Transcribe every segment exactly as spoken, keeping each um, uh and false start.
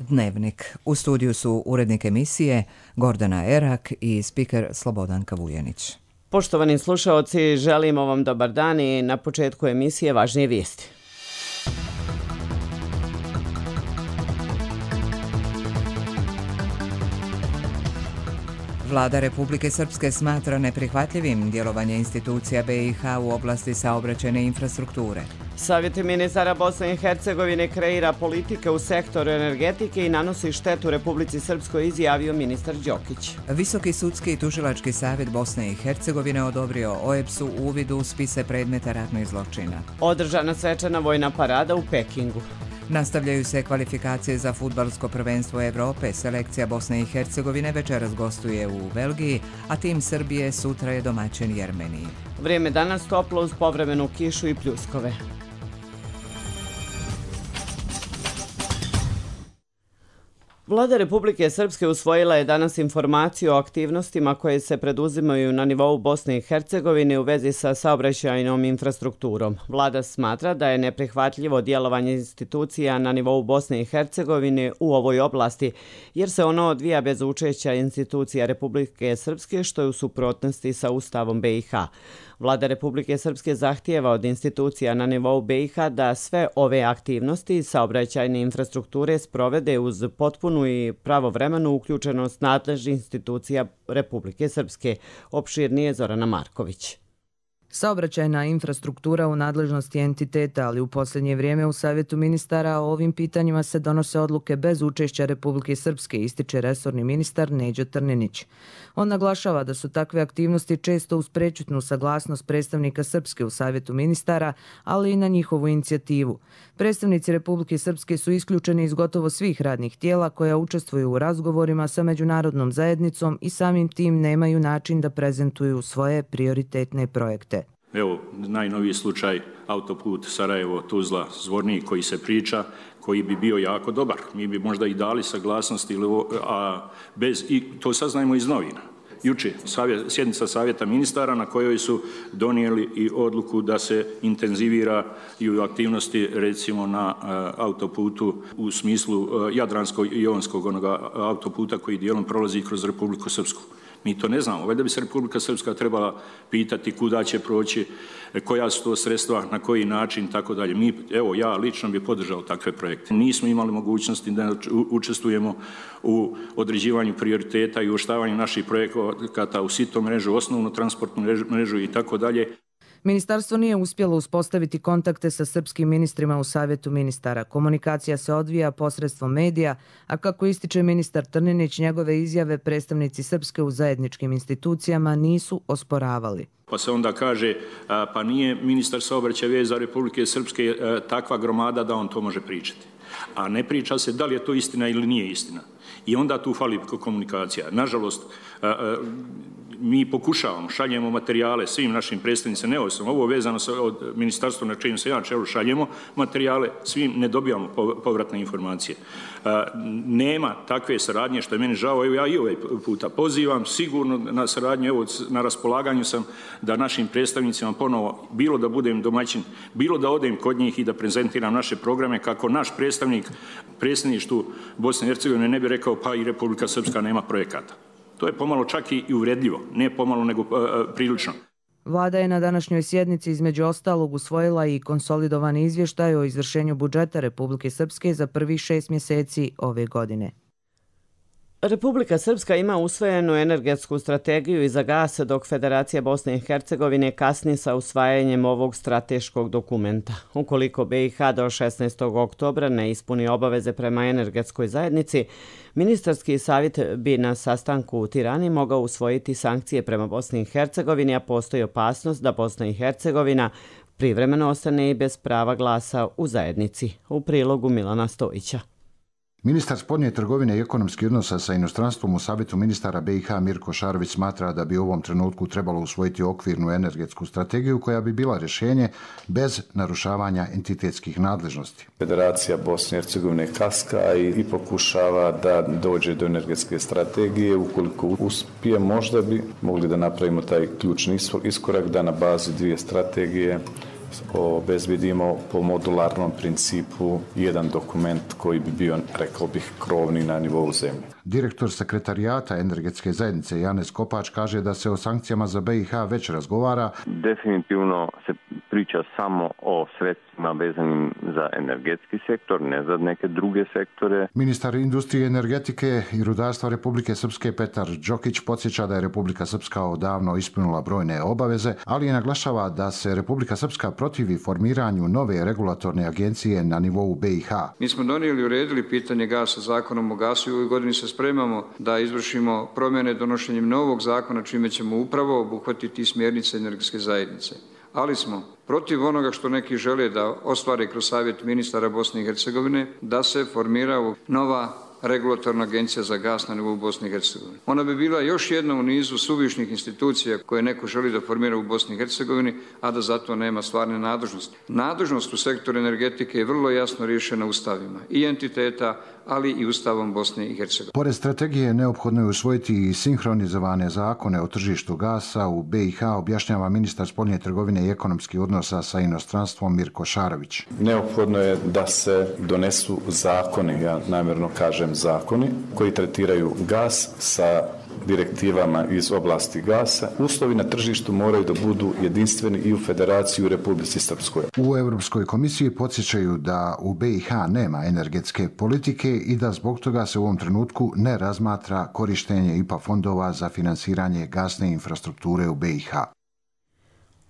Dnevnik. U studiju su urednik emisije Gordana Erak i spiker Slobodan Kavujanić. Poštovani slušaoci, želimo vam dobar dan i na početku emisije važnije vijesti. Vlada Republike Srpske smatra neprihvatljivim djelovanje institucija B i H u oblasti saobraćajne infrastrukture. Savjet ministara Bosne i Hercegovine kreira politike u sektoru energetike i nanosi štetu Republici Srpskoj, izjavio ministar Đokić. Visoki sudski i tužilački savjet Bosne i Hercegovine odobrio O E B S-u uvid u spise predmeta ratnih zločina. Održana svečana vojna parada u Pekingu. Nastavljaju se kvalifikacije za fudbalsko prvenstvo Evrope. Selekcija Bosne i Hercegovine večeras gostuje u Belgiji, a tim Srbije sutra je domaćin Jermeniji. Vrijeme danas toplo uz povremenu kišu i pljuskove. Vlada Republike Srpske usvojila je danas informaciju o aktivnostima koje se preduzimaju na nivou Bosne i Hercegovine u vezi sa saobraćajnom infrastrukturom. Vlada smatra da je neprihvatljivo djelovanje institucija na nivou Bosne i Hercegovine u ovoj oblasti, jer se ono odvija bez učešća institucija Republike Srpske, što je u suprotnosti sa Ustavom B i H. Vlada Republike Srpske zahtijeva od institucija na nivou B i H da sve ove aktivnosti saobraćajne infrastrukture sprovede uz potpunu i pravovremenu uključenost nadležnih institucija Republike Srpske. Opširnije Zorana Marković. Saobraćajna infrastruktura u nadležnosti entiteta, ali u posljednje vrijeme u Savjetu ministara o ovim pitanjima se donose odluke bez učešća Republike Srpske, ističe resorni ministar Neđo Trninić. On naglašava da su takve aktivnosti često uz prečutnu saglasnost predstavnika Srpske u Savjetu ministara, ali i na njihovu inicijativu. Predstavnici Republike Srpske su isključeni iz gotovo svih radnih tijela koja učestvuju u razgovorima sa međunarodnom zajednicom i samim tim nemaju način da prezentuju svoje prioritetne projekte. Evo, najnoviji slučaj autoput Sarajevo-Tuzla-Zvornik koji se priča, koji bi bio jako dobar. Mi bi možda i dali saglasnost, a bez, i to saznajemo iz novina. Juče sjednica savjeta ministara na kojoj su donijeli i odluku da se intenziviraju aktivnosti recimo na autoputu u smislu Jadransko-Jonskog onoga autoputa koji dijelom prolazi kroz Republiku Srpsku. Mi to ne znamo. Valjda bi se Republika Srpska trebala pitati kuda će proći, koja su to sredstva, na koji način, tako dalje. Mi, evo, ja lično bih podržao takve projekte. Nismo imali mogućnosti da učestvujemo u određivanju prioriteta i uvrštavanju naših projekata u sito mrežu, osnovnu transportnu mrežu i tako dalje. Ministarstvo nije uspjelo uspostaviti kontakte sa srpskim ministrima u Savjetu ministara. Komunikacija se odvija posredstvom medija, a kako ističe ministar Trninić, njegove izjave predstavnici Srpske u zajedničkim institucijama nisu osporavali. Pa se onda kaže, pa nije ministar saobraćaja veza Republike Srpske takva gromada da on to može pričati. A ne priča se da li je to istina ili nije istina. I onda tu fali komunikacija. Nažalost, mi pokušavamo, šaljemo materijale svim našim predstavnicima, neovisno, ovo vezano sa od ministarstva na čijem se ja čelu, šaljemo materijale, svim ne dobijamo povratne informacije. Nema takve saradnje, što je meni žao, evo ja i ovaj puta pozivam, sigurno na saradnju, evo na raspolaganju sam da našim predstavnicima ponovo, bilo da budem domaćin, bilo da odem kod njih i da prezentiram naše programe, kako naš predstavnik predsjedništvu Bosne i Hercegovine ne bi rekao pa i Republika Srpska nema projekata. To je pomalo čak i uvredljivo, ne pomalo nego uh, prilično. Vlada je na današnjoj sjednici između ostalog usvojila i konsolidovani izvještaj o izvršenju budžeta Republike Srpske za prvih šest mjeseci ove godine. Republika Srpska ima usvojenu energetsku strategiju i za gas, dok Federacija Bosne i Hercegovine kasni sa usvajanjem ovog strateškog dokumenta. Ukoliko B i H do šesnaestog oktobra ne ispuni obaveze prema energetskoj zajednici, ministarski savjet bi na sastanku u Tirani mogao usvojiti sankcije prema Bosni i Hercegovini, a postoji opasnost da Bosna i Hercegovina privremeno ostane i bez prava glasa u zajednici. U prilogu Milana Stojića. Ministar spoljne trgovine i ekonomskih odnosa sa inostranstvom u Savjetu ministara B i H Mirko Šarović smatra da bi u ovom trenutku trebalo usvojiti okvirnu energetsku strategiju koja bi bila rješenje bez narušavanja entitetskih nadležnosti. Federacija Bosne i Hercegovine kaska i, i pokušava da dođe do energetske strategije. Ukoliko uspije, možda bi mogli da napravimo taj ključni iskorak da na bazi dvije strategije obezbedimo po modularnom principu jedan dokument koji bi bio, rekao bih, krovni na nivou zemlje. Direktor sekretarijata energetske zajednice Janez Kopač kaže da se o sankcijama za B i H već razgovara. Definitivno se priča samo o sredstvima vezanim za energetski sektor, ne za neke druge sektore. Ministar industrije, energetike i rudarstva Republike Srpske Petar Đokić podsjeća da je Republika Srpska odavno ispunila brojne obaveze, ali je naglašava da se Republika Srpska protivi formiranju nove regulatorne agencije na nivou B i H. Mi smo donijeli i uredili pitanje gasa zakonom o gasu i u ovoj godini se spremamo da izvršimo promjene donošenjem novog zakona čime ćemo upravo obuhvatiti smjernice energetske zajednice. Ali smo protiv onoga što neki žele da ostvare kroz Savjet ministara Bosne i Hercegovine da se formira nova regulatorna agencija za gas na nivou Bosne i Hercegovine. Ona bi bila još jedna u nizu suvišnih institucija koje neko želi da formira u Bosni i Hercegovini, a da zato nema stvarne nadležnosti. Nadležnost u sektoru energetike je vrlo jasno riješena ustavima i entiteta, ali i Ustavom Bosne i Hercegovine. Pored strategije neophodno je usvojiti i sinhronizovane zakone o tržištu gasa u B i H, objašnjava ministar spoljne trgovine i ekonomskih odnosa sa inostranstvom Mirko Šarović. Neophodno je da se donesu zakoni, ja namjerno kažem zakoni, koji tretiraju gas sa direktivama iz oblasti gasa. Uslovi na tržištu moraju da budu jedinstveni i u Federaciji u Republici Srpskoj. U Europskoj komisiji podsjećaju da u B i H nema energetske politike i da zbog toga se u ovom trenutku ne razmatra korištenje I P A fondova za finansiranje gasne infrastrukture u B i H.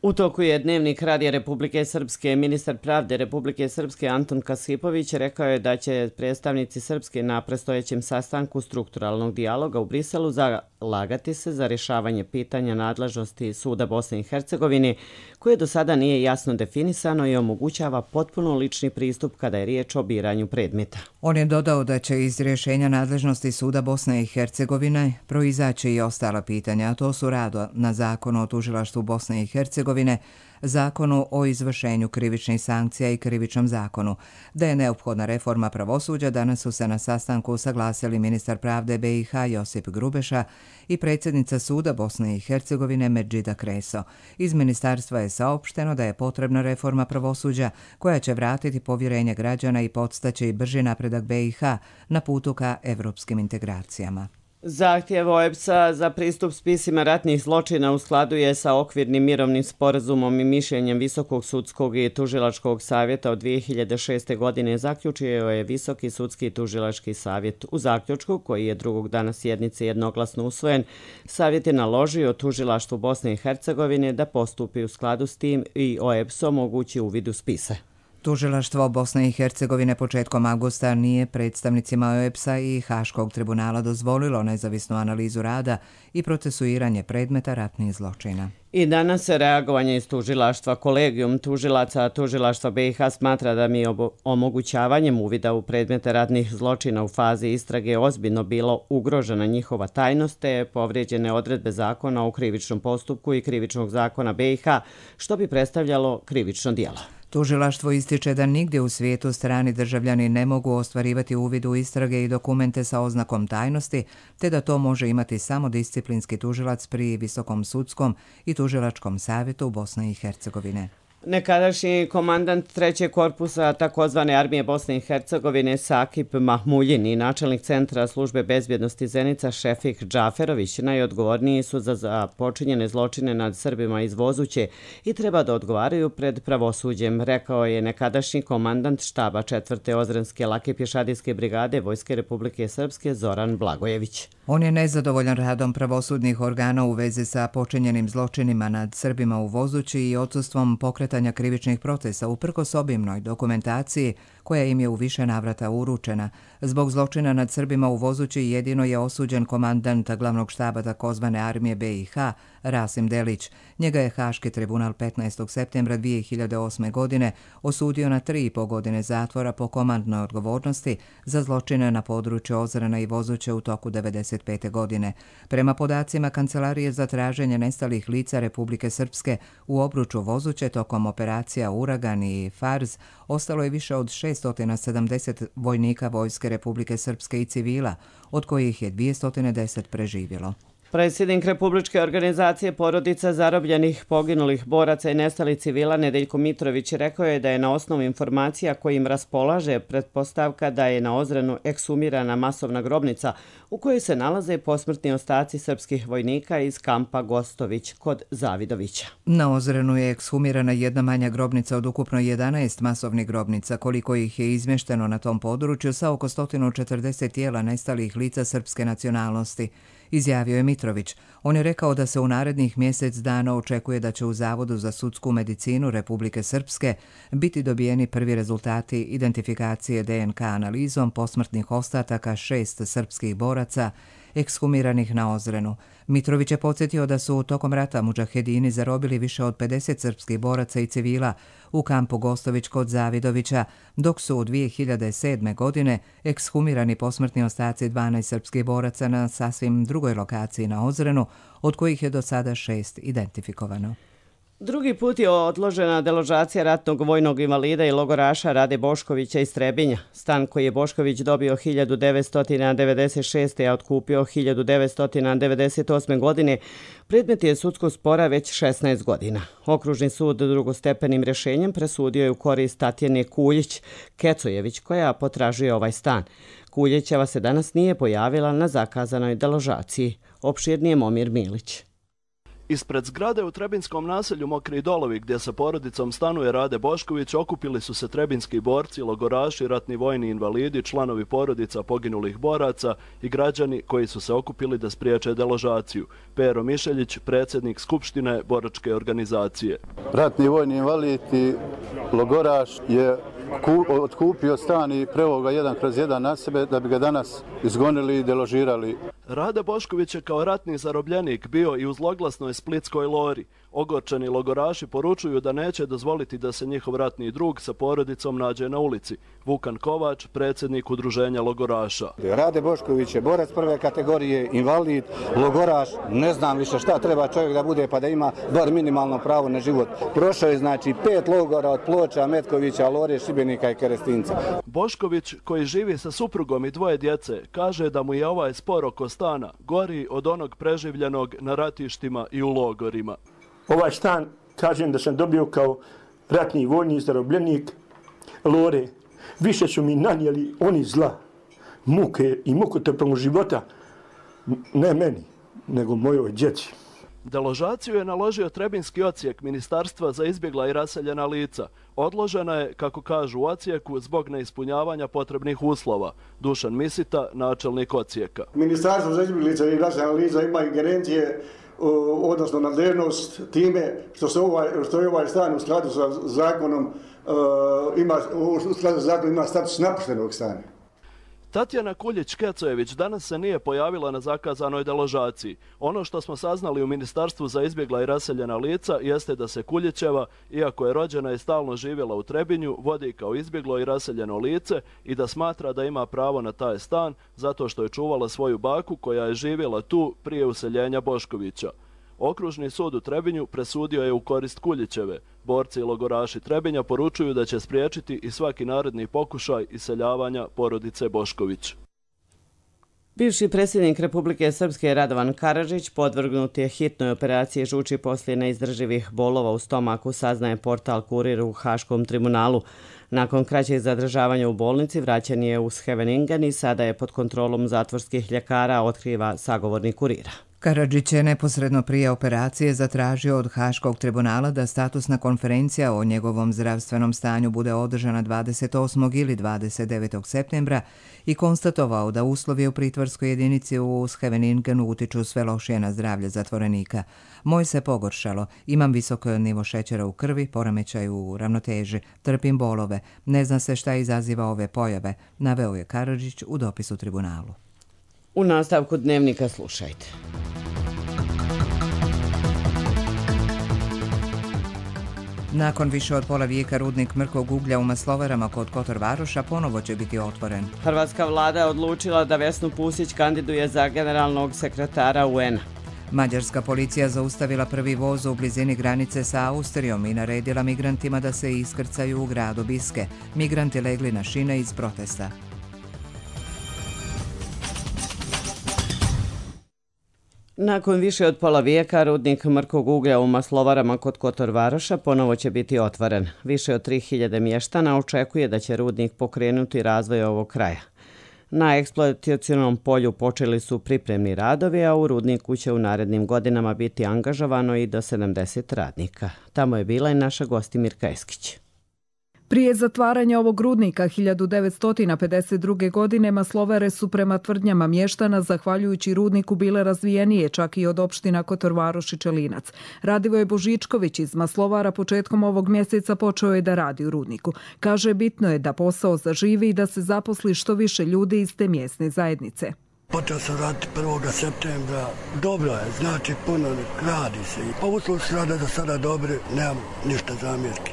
U toku je Dnevnik Radija Republike Srpske. Ministar pravde Republike Srpske Anton Kasipović rekao je da će predstavnici Srpske na predstojećem sastanku strukturalnog dijaloga u Briselu zalagati se za rješavanje pitanja nadležnosti Suda Bosne i Hercegovine, koje do sada nije jasno definisano i omogućava potpuno lični pristup kada je riječ o biranju predmeta. On je dodao da će iz rješenja nadležnosti Suda Bosne i Hercegovine proizaći i ostala pitanja, a to su rad na Zakonu o tužilaštvu Bosne i Hercegovine, Zakonu o izvršenju krivičnih sankcija i Krivičnom zakonu. Da je neophodna reforma pravosuđa, danas su se na sastanku saglasili ministar pravde B i H Josip Grubeša i predsjednica Suda Bosne i Hercegovine Medžida Kreso. Iz ministarstva je saopšteno da je potrebna reforma pravosuđa koja će vratiti povjerenje građana i podstaći brži napredak B i H na putu ka evropskim integracijama. Zahtjev O E B S-a za pristup spisima ratnih zločina u skladu je sa okvirnim mirovnim sporazumom i mišljenjem Visokog sudskog i tužilačkog savjeta od dvije hiljade šeste. godine zaključio je Visoki sudski i tužilački savjet. U zaključku, koji je drugog dana sjednice jednoglasno usvojen, savjet je naložio tužilaštvu Bosne i Hercegovine da postupi u skladu s tim i O E B S omogući uvid u spise. Tužilaštvo Bosne i Hercegovine početkom avgusta nije predstavnicima O E B S-a i Haškog tribunala dozvolilo nezavisnu analizu rada i procesuiranje predmeta ratnih zločina. I danas se reagovanje iz tužilaštva. Kolegijum tužilaca tužilaštva B i H smatra da mi omogućavanjem uvida u predmete ratnih zločina u fazi istrage ozbiljno bilo ugrožena njihova tajnost te povrijeđene odredbe zakona o krivičnom postupku i krivičnog zakona B i H, što bi predstavljalo krivično djelo. Tužilaštvo ističe da nigdje u svijetu strani državljani ne mogu ostvarivati uvid u istrage i dokumente sa oznakom tajnosti, te da to može imati samo disciplinski tužilac pri Visokom sudskom i tužilačkom savjetu Bosne i Hercegovine. Nekadašnji komandant trećeg korpusa takozvane armije Bosne i Hercegovine Sakip Mahmuljin i načelnik centra službe bezbjednosti Zenica Šefik Džaferović najodgovorniji su za započinjene zločine nad Srbima iz Vozuće i treba da odgovaraju pred pravosuđem, rekao je nekadašnji komandant štaba četvrte Ozrenske lake pješadijske brigade Vojske Republike Srpske Zoran Blagojević. On je nezadovoljan radom pravosudnih organa u vezi sa počinjenim zločinima nad Srbima u Vozući i odsustvom pokretanja krivičnih procesa uprkos obimnoj dokumentaciji koja im je u više navrata uručena. Zbog zločina nad Srbima u Vozući jedino je osuđen komandant glavnog štaba takozvane armije B i H Rasim Delić. Njega je Haški tribunal petnaestog septembra dvije hiljade osme. godine osudio na tri i po godine zatvora po komandnoj odgovornosti za zločine na području Ozrena i Vozuće u toku devedeset pete. godine. Prema podacima Kancelarije za traženje nestalih lica Republike Srpske u obruču Vozuće tokom operacija Uragan i Fars ostalo je više od šessto sedamdeset vojnika Vojske Republike Srpske i civila, od kojih je dvjesto deset preživjelo. Predsjednik Republičke organizacije porodica zarobljenih, poginulih boraca i nestalih civila Nedeljko Mitrović rekao je da je na osnovu informacija kojim raspolaže pretpostavka da je na Ozrenu eksumirana masovna grobnica u kojoj se nalaze posmrtni ostaci srpskih vojnika iz kampa Gostović kod Zavidovića. Na Ozrenu je ekshumirana jedna manja grobnica od ukupno jedanaest masovnih grobnica, koliko ih je izmješteno na tom području sa oko sto četrdeset tijela nestalih lica srpske nacionalnosti, izjavio je Mitrović. On je rekao da se u narednih mjesec dana očekuje da će u Zavodu za sudsku medicinu Republike Srpske biti dobijeni prvi rezultati identifikacije D N K analizom posmrtnih ostataka šest srpskih boraca ekshumiranih na Ozrenu. Mitrović je podsjetio da su tokom rata mudžahedini zarobili više od pedeset srpskih boraca i civila u kampu Gostović kod Zavidovića, dok su u dvije hiljade sedme. godine ekshumirani posmrtni ostaci dvanaest srpskih boraca na sasvim drugoj lokaciji na Ozrenu, od kojih je do sada šest identifikovano. Drugi put je odložena deložacija ratnog vojnog invalida i logoraša Rade Boškovića iz Trebinja. Stan koji je Bošković dobio hiljadu devetsto devedeset šeste. a otkupio hiljadu devetsto devedeset osme. godine, predmet je sudskog spora već šesnaest godina. Okružni sud drugostepenim rješenjem presudio je u korist Tatjane Kuljić Kecojević, koja potražuje ovaj stan. Kuljićeva se danas nije pojavila na zakazanoj deložaciji. Opširnije Momir Milić. Ispred zgrade u trebinskom naselju Mokri Dolovi, gdje sa porodicom stanuje Rade Bošković, okupili su se trebinski borci, logoraši, ratni vojni invalidi, članovi porodica poginulih boraca i građani koji su se okupili da spriječe deložaciju. Pero Mišeljić, predsjednik Skupštine boračke organizacije. Ratni vojni invalid i logoraš je otkupio stan i preveo ga jedan kroz jedan na sebe da bi ga danas izgonili i deložirali. Rade Bošković je kao ratni zarobljenik bio i u zloglasnoj splitskoj Lori. Ogorčeni logoraši poručuju da neće dozvoliti da se njihov ratni drug sa porodicom nađe na ulici. Vukan Kovač, predsjednik udruženja logoraša. Rade Bošković je borac prve kategorije, invalid, logoraš, ne znam više šta treba čovjek da bude pa da ima bar minimalno pravo na život. Prošao je znači pet logora od Ploča, Metkovića, Lore, Šibenika i Kerestinca. Bošković, koji živi sa suprugom i dvoje djece, kaže da mu je ovaj spor oko stana gori od onog preživljenog na ratištima i u logorima. Ovaj stan, kažem da sam dobio kao ratni vojni zarobljenik Lore. Više su mi nanijeli oni zla, muke i mukotrpnog života, ne meni, nego mojoj djeci. Deložaciju je naložio trebinski odsjek Ministarstva za izbjegla i raseljena lica. Odložena je, kako kažu u odsjeku, zbog neispunjavanja potrebnih uslova. Dušan Misita, načelnik odsjeka. Ministarstvo za izbjeglica i raseljena lica ima ingerencije, odnosno nadležnost time što, se ovaj, što je ovaj stan u skladu sa zakonom ima, u skladu sa zakonom ima status napuštenog stana. Tatjana Kuljić-Kecojević danas se nije pojavila na zakazanoj deložaciji. Ono što smo saznali u Ministarstvu za izbjegla i raseljena lica jeste da se Kuljićeva, iako je rođena i stalno živjela u Trebinju, vodi kao izbjeglo i raseljeno lice i da smatra da ima pravo na taj stan zato što je čuvala svoju baku koja je živjela tu prije useljenja Boškovića. Okružni sud u Trebinju presudio je u korist Kuljićeve. Borci i logoraši Trebinja poručuju da će spriječiti i svaki naredni pokušaj iseljavanja porodice Bošković. Bivši predsjednik Republike Srpske Radovan Karadžić podvrgnut je hitnoj operaciji žuči poslije neizdrživih bolova u stomaku, saznaje portal Kurir u Haškom tribunalu. Nakon kraćeg zadržavanja u bolnici vraćan je u Scheveningen i sada je pod kontrolom zatvorskih ljekara, otkriva sagovornik Kurira. Karadžić je neposredno prije operacije zatražio od Haškog tribunala da statusna konferencija o njegovom zdravstvenom stanju bude održana dvadeset osmog ili dvadeset devetog septembra i konstatovao da uslovi u pritvorskoj jedinici u Scheveningenu utiču sve lošije na zdravlje zatvorenika. Moj se pogoršalo, imam visok nivo šećera u krvi, poremećaj u ravnoteži, trpim bolove, ne zna se šta izaziva ove pojave, naveo je Karadžić u dopisu tribunalu. U nastavku dnevnika slušajte. Nakon više od pola vijeka rudnik mrkog uglja u Maslovarama kod Kotor Varoša ponovo će biti otvoren. Hrvatska vlada je odlučila da Vesnu Pusić kandiduje za generalnog sekretara U N-a. Mađarska policija zaustavila prvi voz u blizini granice sa Austrijom i naredila migrantima da se iskrcaju u gradu Biske. Migranti legli na šine iz protesta. Nakon više od pola vijeka, rudnik mrkog uglja u Maslovarama kod Kotor Varoša ponovo će biti otvoren. Više od tri hiljade mještana očekuje da će rudnik pokrenuti razvoj ovog kraja. Na eksploatacionom polju počeli su pripremni radovi, a u rudniku će u narednim godinama biti angažovano i do sedamdeset radnika. Tamo je bila i naša gosti Mirka Eskić. Prije zatvaranja ovog rudnika hiljadu devetsto pedeset druge. godine Maslovare su prema tvrdnjama mještana zahvaljujući rudniku bile razvijenije čak i od opština Kotor Varoš i Čelinac. Radivoje Božičković iz Maslovara početkom ovog mjeseca počeo je da radi u rudniku. Kaže, bitno je da posao zaživi i da se zaposli što više ljudi iz te mjesne zajednice. Počeo sam raditi prvog septembra. Dobro je, znači puno radi se. Pa uslovi su rada za sada dobri, nemam ništa zamjerki.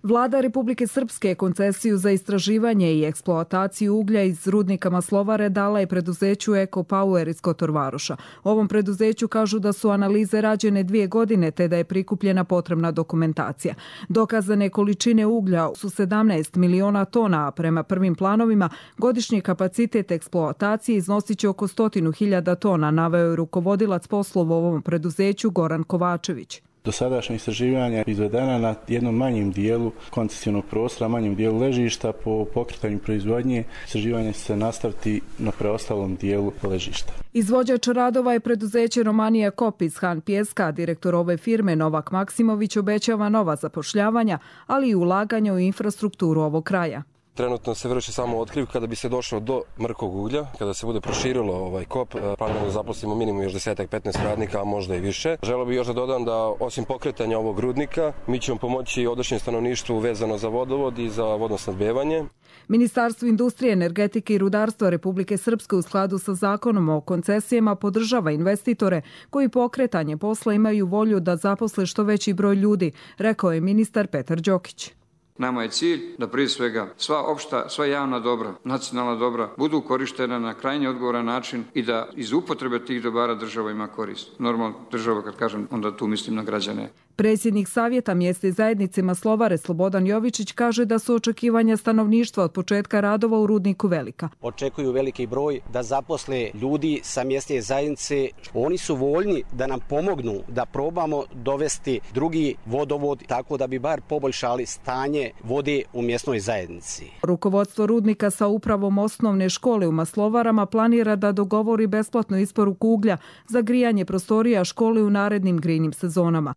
Vlada Republike Srpske koncesiju za istraživanje i eksploataciju uglja iz rudnika Maslovare dala je preduzeću Eko Power iz Kotor Varoša. U ovom preduzeću kažu da su analize rađene dvije godine te da je prikupljena potrebna dokumentacija. Dokazane količine uglja su sedamnaest miliona tona, a prema prvim planovima godišnji kapacitet eksploatacije iznosit će oko stotinu hiljada tona, naveo je rukovodilac poslova u ovom preduzeću Goran Kovačević. Dosadašnja istraživanja izvedena na jednom manjem dijelu koncesionog prostora, manjem dijelu ležišta. Po pokretanju proizvodnje istraživanje će se nastaviti na preostalom dijelu ležišta. Izvođač radova je preduzeće Romanija Kop iz Han Pijeska. Direktor ove firme Novak Maksimović obećava nova zapošljavanja, ali i ulaganja u infrastrukturu ovog kraja. Trenutno se vrši samo otkriv kada bi se došlo do mrkog uglja, kada se bude proširilo ovaj kop, planiramo da zaposlimo minimum još deset do petnaest radnika, a možda i više. Želeo bih još da dodam da osim pokretanja ovog rudnika, mi ćemo pomoći odašnjem stanovništvu vezano za vodovod i za vodosnabdevanje. Ministarstvo industrije, energetike i rudarstva Republike Srpske u skladu sa zakonom o koncesijama podržava investitore koji pokretanje posla imaju volju da zaposle što veći broj ljudi, rekao je ministar Petar Đokić. Nama je cilj da prije svega sva opšta, sva javna dobra, nacionalna dobra budu korištena na krajnje odgovoran način i da iz upotrebe tih dobara država ima korist. Normalno država, kad kažem, onda tu mislim na građane. Predsjednik Savjeta mjesne zajednice Maslovare Slobodan Jovičić kaže da su očekivanja stanovništva od početka radova u rudniku velika. Očekuju veliki broj da zaposle ljudi sa mjesne zajednice. Oni su voljni da nam pomognu da probamo dovesti drugi vodovod tako da bi bar poboljšali stanje vode u mjesnoj zajednici. Rukovodstvo rudnika sa upravom osnovne škole u Maslovarama planira da dogovori besplatnu isporuku uglja za grijanje prostorija škole u narednim grejnim sezonama.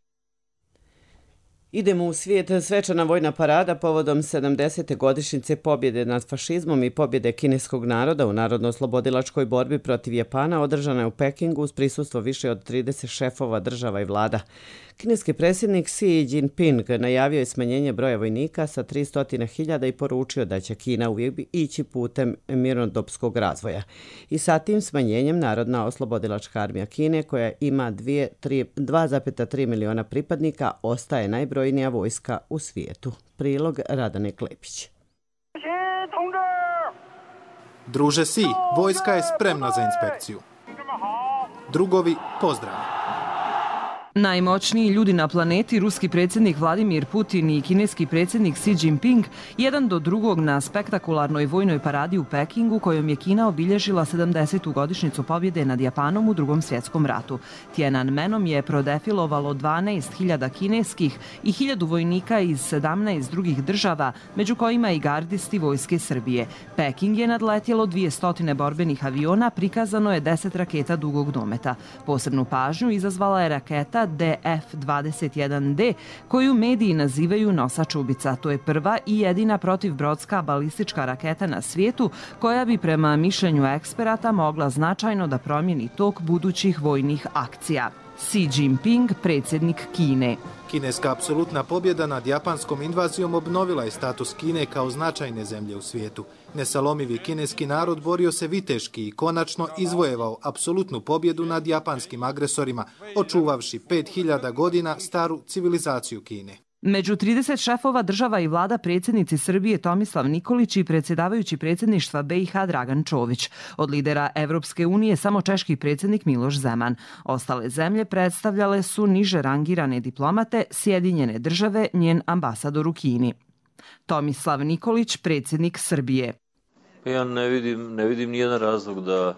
Idemo u svijet. Svečana vojna parada povodom sedamdesete godišnjice pobjede nad fašizmom i pobjede kineskog naroda u narodno-oslobodilačkoj borbi protiv Japana održana je u Pekingu uz prisustvo više od trideset šefova država i vlada. Kineski predsjednik Xi Jinping najavio je smanjenje broja vojnika sa tristo hiljada i poručio da će Kina uvijek ići putem mirnodopskog razvoja. I sa tim smanjenjem Narodna oslobodilačka armija Kine, koja ima dva zarez tri miliona pripadnika, ostaje najbrojnija vojska u svijetu. Prilog Radane Klepić. Druže Si, vojska je spremna za inspekciju. Drugovi, pozdrav. Najmoćniji ljudi na planeti, ruski predsjednik Vladimir Putin i kineski predsjednik Xi Jinping, jedan do drugog na spektakularnoj vojnoj paradi u Pekingu, kojom je Kina obilježila sedamdesetu godišnjicu pobjede nad Japanom u Drugom svjetskom ratu. Tiananmenom je prodefilovalo dvanaest hiljada kineskih i hiljadu vojnika iz sedamnaest drugih država, među kojima i gardisti vojske Srbije. Peking je nadletjelo dvjesto borbenih aviona, prikazano je deset raketa dugog dometa. Posebnu pažnju izazvala je raketa D F dvadeset jedan D, koju mediji nazivaju nosač ubica. To je prva i jedina protivbrodska balistička raketa na svijetu koja bi prema mišljenju eksperata mogla značajno da promijeni tok budućih vojnih akcija. Xi Jinping, predsjednik Kine. Kineska apsolutna pobjeda nad japanskom invazijom obnovila je status Kine kao značajne zemlje u svijetu. Nesalomivi kineski narod borio se viteški i konačno izvojevao apsolutnu pobjedu nad japanskim agresorima, očuvavši pet hiljada godina staru civilizaciju Kine. Među trideset šefova država i vlada predsjednici Srbije Tomislav Nikolić i predsjedavajući predsjedništva B i H Dragan Čović. Od lidera Evropske unije samo češki predsjednik Miloš Zeman. Ostale zemlje predstavljale su niže rangirane diplomate, Sjedinjene države, njen ambasador u Kini. Tomislav Nikolić, predsjednik Srbije. Ja ne vidim, ne vidim nijedan razlog da,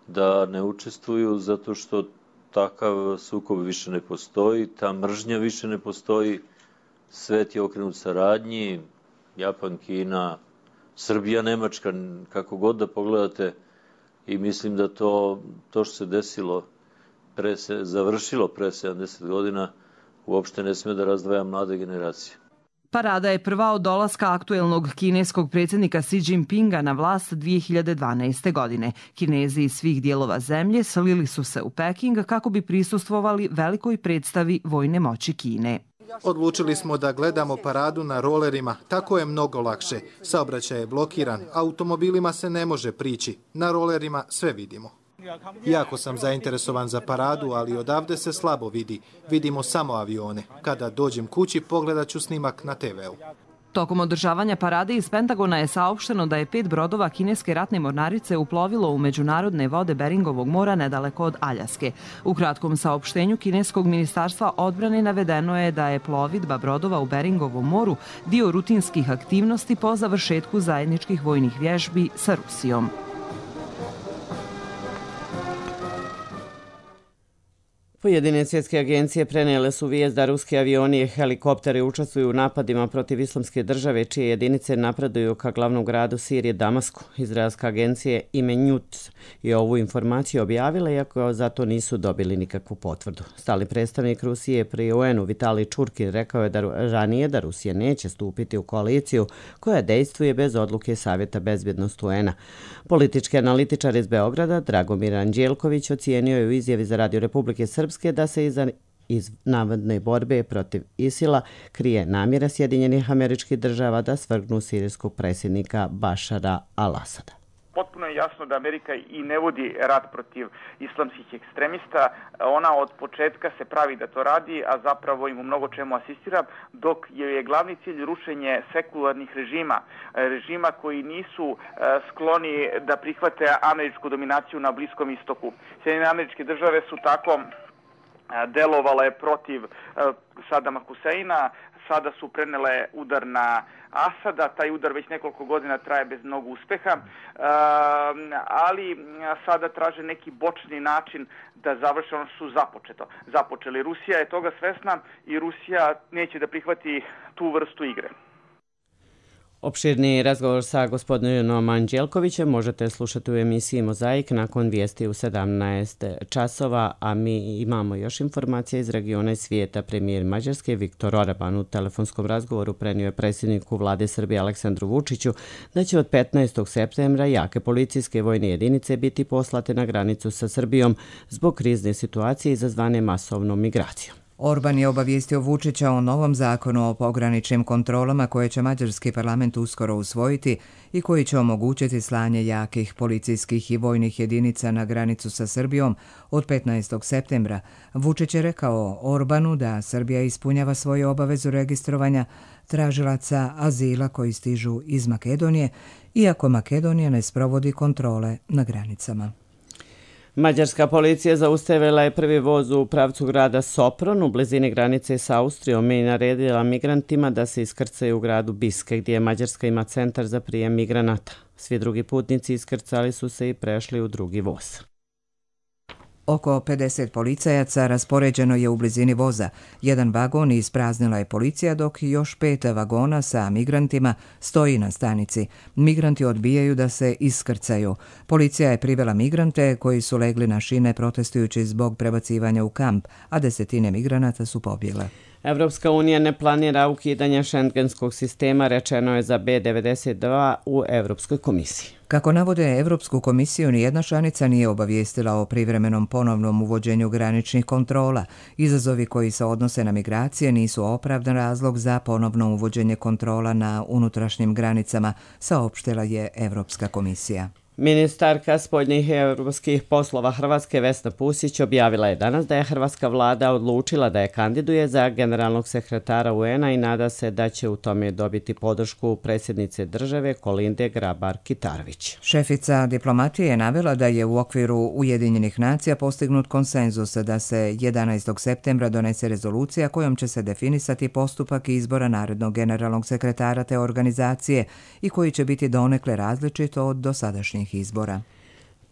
da ne učestvuju, zato što takav sukob više ne postoji, ta mržnja više ne postoji, svet je okrenut saradnji, Japan, Kina, Srbija, Nemačka, kako god da pogledate, i mislim da to, to što se desilo, pre se, završilo pre sedamdeset godina, uopšte ne sme da razdvaja mlade generacije. Parada je prva od dolaska aktuelnog kineskog predsjednika Xi Jinpinga na vlast dvije hiljade dvanaeste. godine. Kinezi iz svih dijelova zemlje slili su se u Peking kako bi prisustvovali velikoj predstavi vojne moći Kine. Odlučili smo da gledamo paradu na rolerima, tako je mnogo lakše. Saobraćaj je blokiran, automobilima se ne može prići, na rolerima sve vidimo. Jako sam zainteresovan za paradu, ali odavde se slabo vidi. Vidimo samo avione. Kada dođem kući, pogledat ću snimak na te ve u. Tokom održavanja parade iz Pentagona je saopšteno da je pet brodova kineske ratne mornarice uplovilo u međunarodne vode Beringovog mora nedaleko od Aljaske. U kratkom saopštenju kineskog ministarstva odbrane navedeno je da je plovidba brodova u Beringovom moru dio rutinskih aktivnosti po završetku zajedničkih vojnih vježbi sa Rusijom. Pojedine svjetske agencije prenijele su vijest da ruski avioni i helikopteri učestvuju u napadima protiv islamske države, čije jedinice napreduju ka glavnom gradu Sirije Damasku. Izraelska agencija Ime News je ovu informaciju objavila, iako za to nisu dobili nikakvu potvrdu. Stalni predstavnik Rusije pri u en u Vitalij Čurkin rekao je da ranije da Rusija neće stupiti u koaliciju koja dejstvuje bez odluke Savjeta bezbjednosti u en a. Politički analitičar iz Beograda Dragomir Anđelković ocijenio je u izjavi za Radio Republike Srpske da se iza iz navodne borbe protiv Isila krije namjera Sjedinjenih Američkih Država da svrgnu sirijskog predsjednika Bašara al-Asada. Potpuno je jasno da Amerika i ne vodi rat protiv islamskih ekstremista. Ona od početka se pravi da to radi, a zapravo im u mnogo čemu asistira, dok je glavni cilj rušenje sekularnih režima, režima koji nisu skloni da prihvate američku dominaciju na Bliskom istoku. Sjedinjene Američke Države su tako delovale protiv Sadama Huseina, sada su prenele udar na Asada, taj udar već nekoliko godina traje bez mnogo uspeha, ali sada traže neki bočni način da završe ono što su započeto. započeli. Rusija je toga svesna i Rusija neće da prihvati tu vrstu igre. Opširni razgovor sa gospodinom Anđelkovićem možete slušati u emisiji Mozaik nakon vijesti u sedamnaest časova, a mi imamo još informacije iz regiona i svijeta. Premijer Mađarske Viktor Orban u telefonskom razgovoru prenio je predsjedniku vlade Srbije Aleksandru Vučiću da će od petnaestog septembra jake policijske vojne jedinice biti poslate na granicu sa Srbijom zbog krizne situacije izazvane masovnom migracijom. Orban je obavijestio Vučića o novom zakonu o pograničnim kontrolama koje će mađarski parlament uskoro usvojiti i koji će omogućiti slanje jakih policijskih i vojnih jedinica na granicu sa Srbijom od petnaestog septembra. Vučić je rekao Orbanu da Srbija ispunjava svoju obavezu registrovanja tražilaca azila koji stižu iz Makedonije, iako Makedonija ne sprovodi kontrole na granicama. Mađarska policija zaustavila je prvi voz u pravcu grada Sopron u blizini granice s Austrijom i naredila migrantima da se iskrcaju u gradu Biske, gdje Mađarska ima centar za prijem migranata. Svi drugi putnici iskrcali su se i prešli u drugi voz. Oko pedeset policajaca raspoređeno je u blizini voza. Jedan vagon ispraznila je policija, dok još pet vagona sa migrantima stoji na stanici. Migranti odbijaju da se iskrcaju. Policija je privela migrante koji su legli na šine protestujući zbog prebacivanja u kamp, a desetine migranata su pobjegle. Evropska unija ne planira ukidanje šengenskog sistema, rečeno je za be devedeset dva u Evropskoj komisiji. Kako navode Evropsku komisiju, nijedna članica nije obavijestila o privremenom ponovnom uvođenju graničnih kontrola. Izazovi koji se odnose na migracije nisu opravdan razlog za ponovno uvođenje kontrola na unutrašnjim granicama, saopštila je Evropska komisija. Ministarka spoljnih evropskih poslova Hrvatske Vesna Pusić objavila je danas da je hrvatska vlada odlučila da je kandiduje za generalnog sekretara u en a i nada se da će u tome dobiti podršku predsjednice države Kolinde Grabar-Kitarović. Šefica diplomatije je navela da je u okviru Ujedinjenih nacija postignut konsenzus da se jedanaestog septembra donese rezolucija kojom će se definisati postupak izbora narednog generalnog sekretara te organizacije i koji će biti donekle različit od dosadašnjih izbora.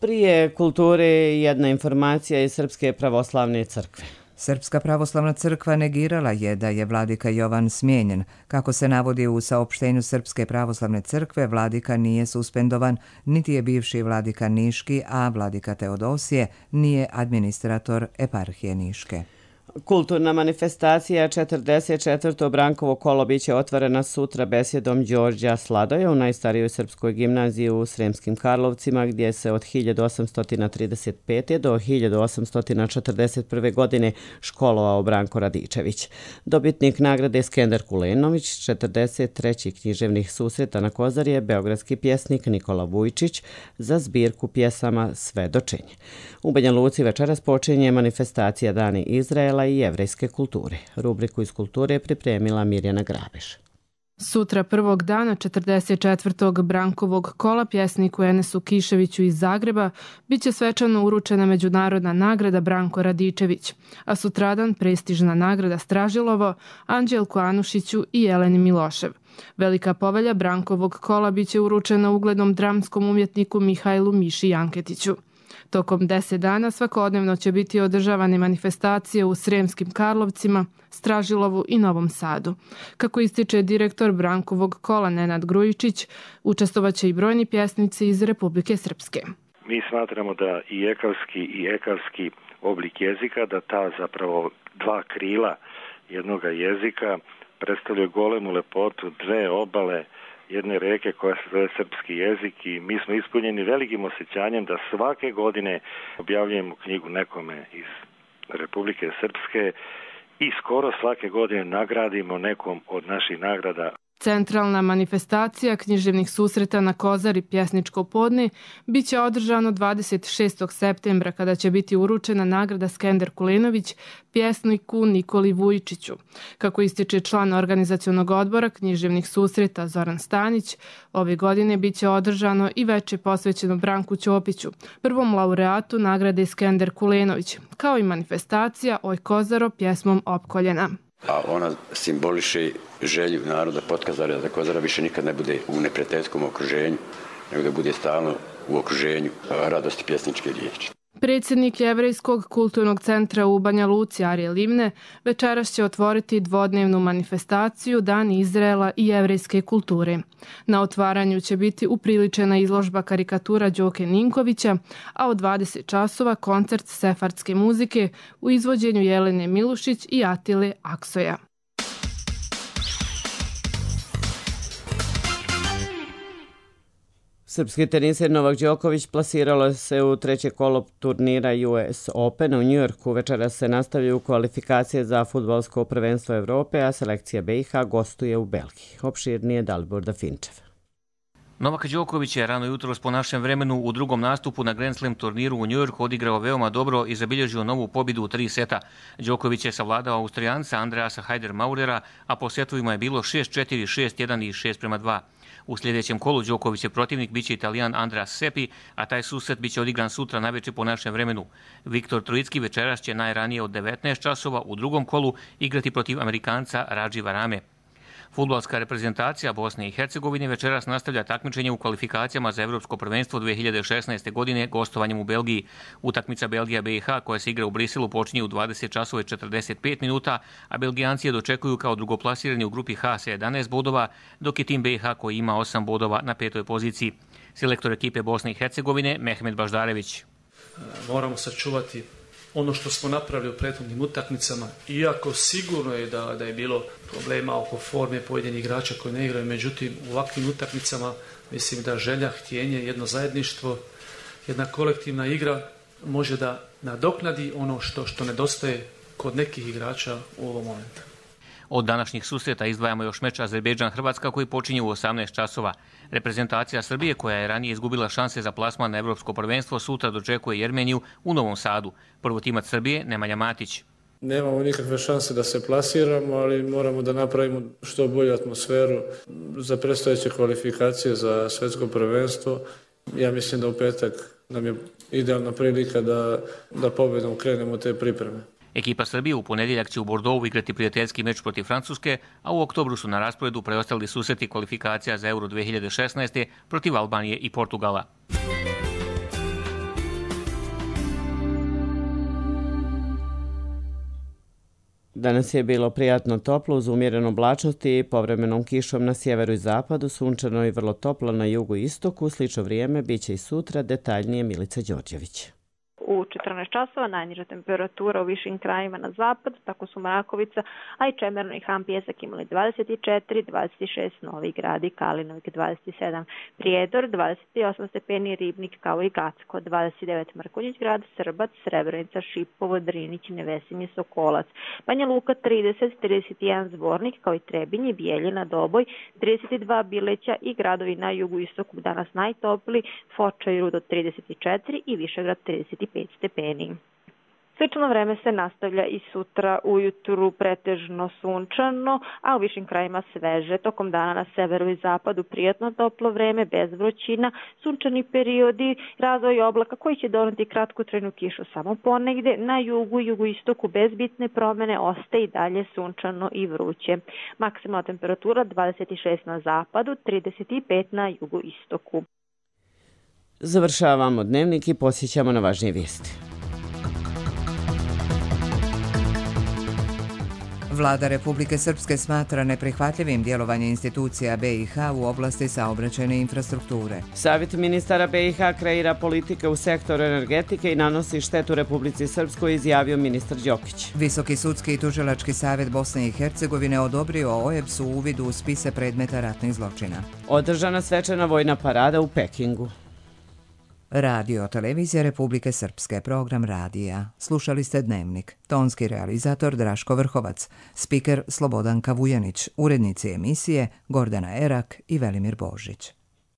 Prije kulture jedna informacija iz Srpske pravoslavne crkve. Srpska pravoslavna crkva negirala je da je vladika Jovan smijenjen. Kako se navodi u saopštenju Srpske pravoslavne crkve, vladika nije suspendovan, niti je bivši vladika Niški, a vladika Teodosije nije administrator eparhije Niške. Kulturna manifestacija četrdeset četvrto Brankovo kolo biće otvorena sutra besjedom Đorđa Sladoja u najstarijoj srpskoj gimnaziji u Sremskim Karlovcima, gdje se od hiljadu osamsto trideset pete. do hiljadu osamsto četrdeset prve. godine školovao Branko Radičević. Dobitnik nagrade Skender Kulenović, četrdeset treći književnih susreta na Kozari je beogradski pjesnik Nikola Vujčić za zbirku pjesama Svedočenje. U Banja Luci večeras počinje manifestacija Dani Izraela i jevrejske kulture. Rubriku iz kulture je pripremila Mirjana Grabeš. Sutra prvog dana četrdeset četvrtog Brankovog kola pjesniku Enesu Kiševiću iz Zagreba biće svečano uručena međunarodna nagrada Branko Radičević, a sutradan prestižna nagrada Stražilovo Anđelku Anušiću i Jeleni Milošev. Velika povelja Brankovog kola biće uručena uglednom dramskom umjetniku Mihajlu Miši Janketiću. Tokom deset dana svakodnevno će biti održavane manifestacije u Sremskim Karlovcima, Stražilovu i Novom Sadu. Kako ističe direktor Brankovog kola Nenad Grujičić, učestvovaće i brojni pjesnici iz Republike Srpske. Mi smatramo da i ekavski i ekavski oblik jezika, da ta zapravo dva krila jednoga jezika predstavljaju golemu lepotu, dve obale jedne reke koja se zove srpski jezik i mi smo ispunjeni velikim osjećanjem da svake godine objavljujemo knjigu nekome iz Republike Srpske i skoro svake godine nagradimo nekom od naših nagrada. Centralna manifestacija književnih susreta na Kozari pjesničko podne biće održano dvadeset šestog septembra kada će biti uručena nagrada Skender Kulenović pjesniku Nikoli Vujčiću. Kako ističe član organizacionog odbora književnih susreta Zoran Stanić, ove godine biće održano i veče posvećeno Branku Ćopiću, prvom laureatu nagrade Skender Kulenović, kao i manifestacija Oj Kozaro pjesmom opkoljena. A ona simboliše želju naroda Potkazara da Kozara više nikad ne bude u neprijateljskom okruženju, nego da bude stalno u okruženju radosti pjesničke riječi. Predsjednik Jevrejskog kulturnog centra u Banja Luci Arije Livne večeras će otvoriti dvodnevnu manifestaciju Dan Izraela i jevrejske kulture. Na otvaranju će biti upriličena izložba karikatura Đoke Ninkovića, a od dvadeset časova koncert sefardske muzike u izvođenju Jelene Milušić i Atile Aksoja. Srpski teniser Novak Đoković plasiralo se u treće kolo turnira U S Open u Njujorku. Večeras se nastavljaju kvalifikacije za fudbalsko prvenstvo Evrope, a selekcija B i H gostuje u Belgiji. Opširnije Dalibor Dafinčev. Novak Đoković je rano jutros po našem vremenu u drugom nastupu na Grand Slam turniru u Njujorku odigrao veoma dobro i zabilježio novu pobjedu u tri seta. Đoković je savladao Austrijanca Andreasa Haider-Maurera, a po setovima je bilo šest četiri, šest jedan i šest prema dva. U sljedećem kolu Đokovićev protivnik biće Italijan Andreas Seppi, a taj susret biće odigran sutra naveče po našem vremenu. Viktor Trojicki večeras će najranije od devetnaest časova u drugom kolu igrati protiv Amerikanca Radži Varame. Fudbalska reprezentacija Bosne i Hercegovine večeras nastavlja takmičenje u kvalifikacijama za Evropsko prvenstvo dve hiljade šesnaeste. godine gostovanjem u Belgiji. Utakmica Belgija B i H koja se igra u Briselu počinje u dvadeset časova i četrdeset pet minuta, a Belgijanci je dočekuju kao drugoplasirani u grupi H sa jedanaest bodova, dok je tim B i H koji ima osam bodova na petoj poziciji. Selektor ekipe Bosne i Hercegovine Mehmet Baždarević. Moramo sačuvati ono što smo napravili u prethodnim utakmicama, iako sigurno je da, da je bilo problema oko forme pojedinih igrača koji ne igraju, međutim u ovakvim utakmicama mislim da želja, htjenje, jedno zajedništvo, jedna kolektivna igra može da nadoknadi ono što, što nedostaje kod nekih igrača u ovom momentu. Od današnjih susreta izdvajamo još meč Azerbejdžan-Hrvatska koji počinje u osamnaest časova. Reprezentacija Srbije, koja je ranije izgubila šanse za plasman na Evropsko prvenstvo, sutra dočekuje Jermeniju u Novom Sadu. Prvotimac Srbije Nemanja Matić. Nemamo nikakve šanse da se plasiramo, ali moramo da napravimo što bolju atmosferu za predstojeće kvalifikacije za svetsko prvenstvo. Ja mislim da u petak nam je idealna prilika da, da pobedom krenemo te pripreme. Ekipa Srbije u ponedjeljak će u Bordeauxu igrati prijateljski meč protiv Francuske, a u oktobru su na rasporedu preostali susreti kvalifikacija za Euro dve hiljade šesnaeste. protiv Albanije i Portugala. Danas je bilo prijatno toplo uz umjerenu oblačnost i povremenom kišom na sjeveru i zapadu, sunčano i vrlo toplo na jugu i istoku. Slično vrijeme biće i sutra, detaljnije Milica Đorđević. U četrnaest časova najniža temperatura u višim krajima na zapad, tako su Mrakovica, a i Čemerno i Han Pijesak imali dvadeset četiri, dvadeset šest, Novi Grad i Kalinovik dvadeset sedam, Prijedor dvadeset osam stepeni, Ribnik kao i Gacko dvadeset devet, Mrkonjić Grad, Srbac, Srebrenica, Šipovo, Drinić, Nevesinje, Sokolac, Banja Luka trideset, trideset jedan Zvornik kao i Trebinje, Bijeljina, Doboj, trideset dva Bileća i gradovi na jugu istoku danas najtopli, Foča i Rudo trideset četiri i Višegrad trideset pet stepeni. Slično vreme se nastavlja i sutra ujutru pretežno sunčano, a u višim krajima sveže. Tokom dana na severu i zapadu prijatno toplo vreme, bez vrućina, sunčani periodi, razvoj oblaka koji će doneti kratkotrajnu kišu samo ponegde. Na jugu i jugoistoku bez bitne promene ostaje i dalje sunčano i vruće. Maksimalna temperatura dvadeset šest na zapadu, trideset pet na jugoistoku. Završavamo dnevnik i posjećamo na važnije vijesti. Vlada Republike Srpske smatra neprihvatljivim djelovanje institucija B i H u oblasti saobraćajne infrastrukture. Savjet ministara B i H kreira politike u sektoru energetike i nanosi štetu Republici Srpskoj, izjavio ministar Đokić. Visoki sudski i tužilački savjet Bosne i Hercegovine odobrio O E B S u uvidu u spise predmeta ratnih zločina. Održana svečana vojna parada u Pekingu. Radio Televizija Republike Srpske, program radija. Slušali ste Dnevnik. Tonski realizator Draško Vrhovac, spiker Slobodan Kavujanić, urednici emisije Gordana Erak i Velimir Božić.